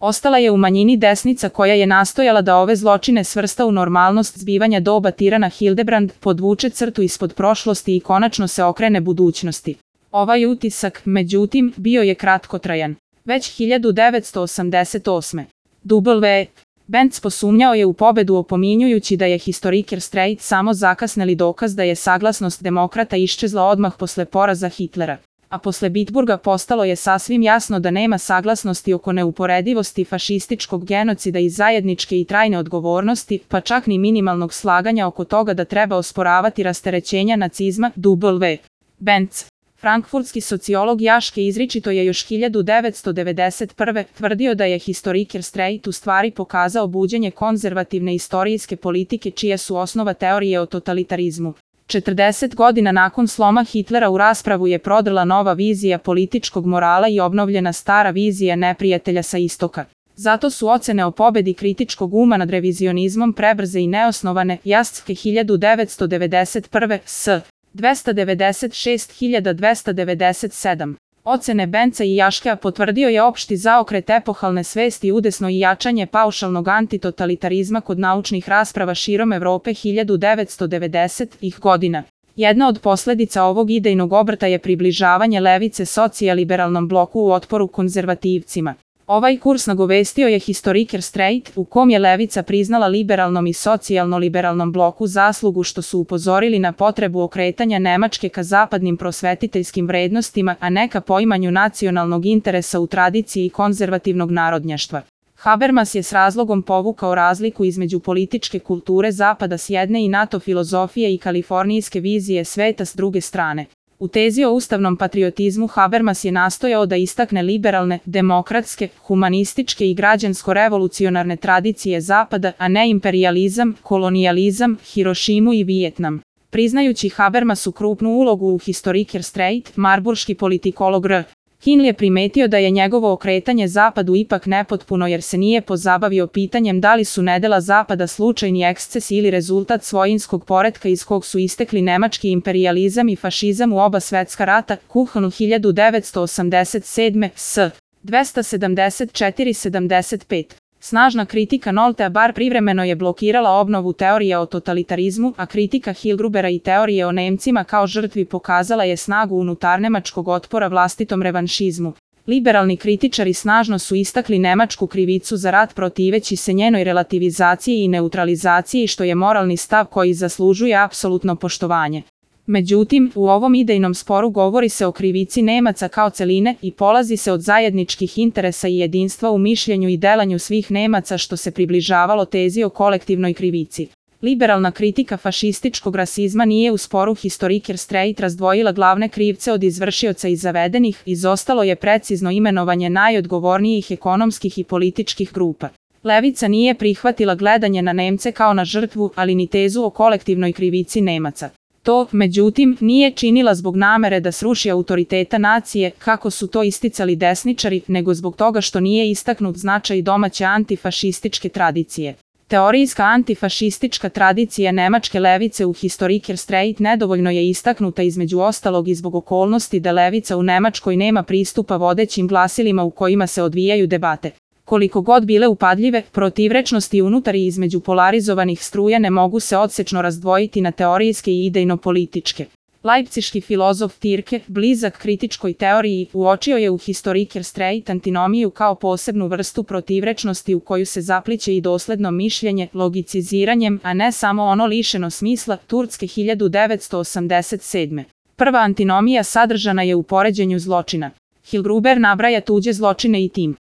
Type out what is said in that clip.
Ostala je u manjini desnica koja je nastojala da ove zločine svrsta u normalnost zbivanja doba tirana Hildebrand, podvuče crtu ispod prošlosti i konačno se okrene budućnosti. Ovaj utisak, međutim, bio je kratkotrajan. Već 1988. W. Benz posumnjao je u pobedu opominjujući da je historiker Streit samo zakasneli dokaz da je saglasnost demokrata iščezla odmah posle poraza Hitlera. A posle Bitburga postalo je sasvim jasno da nema saglasnosti oko neuporedivosti fašističkog genocida i zajedničke i trajne odgovornosti, pa čak ni minimalnog slaganja oko toga da treba osporavati rasterećenja nacizma. W. Benz. Frankfurtski sociolog Jaške izričito je još 1991. tvrdio da je historiker Streit u stvari pokazao buđenje konzervativne istorijske politike čija su osnova teorije o totalitarizmu. 40 godina nakon sloma Hitlera u raspravu je prodrla nova vizija političkog morala i obnovljena stara vizija neprijatelja sa istoka. Zato su ocene o pobedi kritičkog uma nad revizionizmom prebrze i neosnovane. Jaske 1991. s. 296.297. Ocene Benza i Jaškea potvrdio je opšti zaokret epohalne svesti udesno i jačanje paušalnog antitotalitarizma kod naučnih rasprava širom Evrope 1990-ih godina. Jedna od posledica ovog idejnog obrta je približavanje levice socijaliberalnom bloku u otporu konzervativcima. Ovaj kurs nagovestio je historiker Streit, u kom je levica priznala liberalnom i socijalno-liberalnom bloku zaslugu što su upozorili na potrebu okretanja Nemačke ka zapadnim prosvetiteljskim vrednostima, a ne ka poimanju nacionalnog interesa u tradiciji konzervativnog narodnjaštva. Habermas je s razlogom povukao razliku između političke kulture Zapada s jedne i NATO filozofije i kalifornijske vizije sveta s druge strane. U tezi o ustavnom patriotizmu Habermas je nastojao da istakne liberalne, demokratske, humanističke i građansko-revolucionarne tradicije Zapada, a ne imperijalizam, kolonijalizam, Hirošimu i Vijetnam. Priznajući Habermasu krupnu ulogu u historiker Streit, marburški politikolog R. Hill je primetio da je njegovo okretanje Zapadu ipak nepotpuno jer se nije pozabavio pitanjem da li su nedela Zapada slučajni eksces ili rezultat svojinskog poretka iz kog su istekli nemački imperijalizam i fašizam u oba svetska rata. Kuhn 1987. s. 274-75. Snažna kritika Noltea bar privremeno je blokirala obnovu teorije o totalitarizmu, a kritika Hilgrubera i teorije o Nemcima kao žrtvi pokazala je snagu unutarnemačkog otpora vlastitom revanšizmu. Liberalni kritičari snažno su istakli nemačku krivicu za rat protiveći se njenoj relativizaciji i neutralizaciji što je moralni stav koji zaslužuje apsolutno poštovanje. Međutim, u ovom idejnom sporu govori se o krivici Nemaca kao celine i polazi se od zajedničkih interesa i jedinstva u mišljenju i delanju svih Nemaca što se približavalo tezi o kolektivnoj krivici. Liberalna kritika fašističkog rasizma nije u sporu historiker Streit razdvojila glavne krivce od izvršioca i zavedenih, izostalo je precizno imenovanje najodgovornijih ekonomskih i političkih grupa. Levica nije prihvatila gledanje na Nemce kao na žrtvu, ali ni tezu o kolektivnoj krivici Nemaca. To, međutim, nije činila zbog namere da sruši autoriteta nacije, kako su to isticali desničari, nego zbog toga što nije istaknut značaj domaće antifašističke tradicije. Teorijska antifašistička tradicija nemačke levice u historiker Streit nedovoljno je istaknuta između ostalog i zbog okolnosti da levica u Nemačkoj nema pristupa vodećim glasilima u kojima se odvijaju debate. Koliko god bile upadljive, protivrečnosti unutar i između polarizovanih struja ne mogu se odsečno razdvojiti na teorijske i idejno-političke. Leipziški filozof Tirke, blizak kritičkoj teoriji, uočio je u historiker Streit antinomiju kao posebnu vrstu protivrečnosti u koju se zapliće i dosledno mišljenje, logiciziranjem, a ne samo ono lišeno smisla. Turske 1987. Prva antinomija sadržana je u poređenju zločina. Hilgruber nabraja tuđe zločine i tim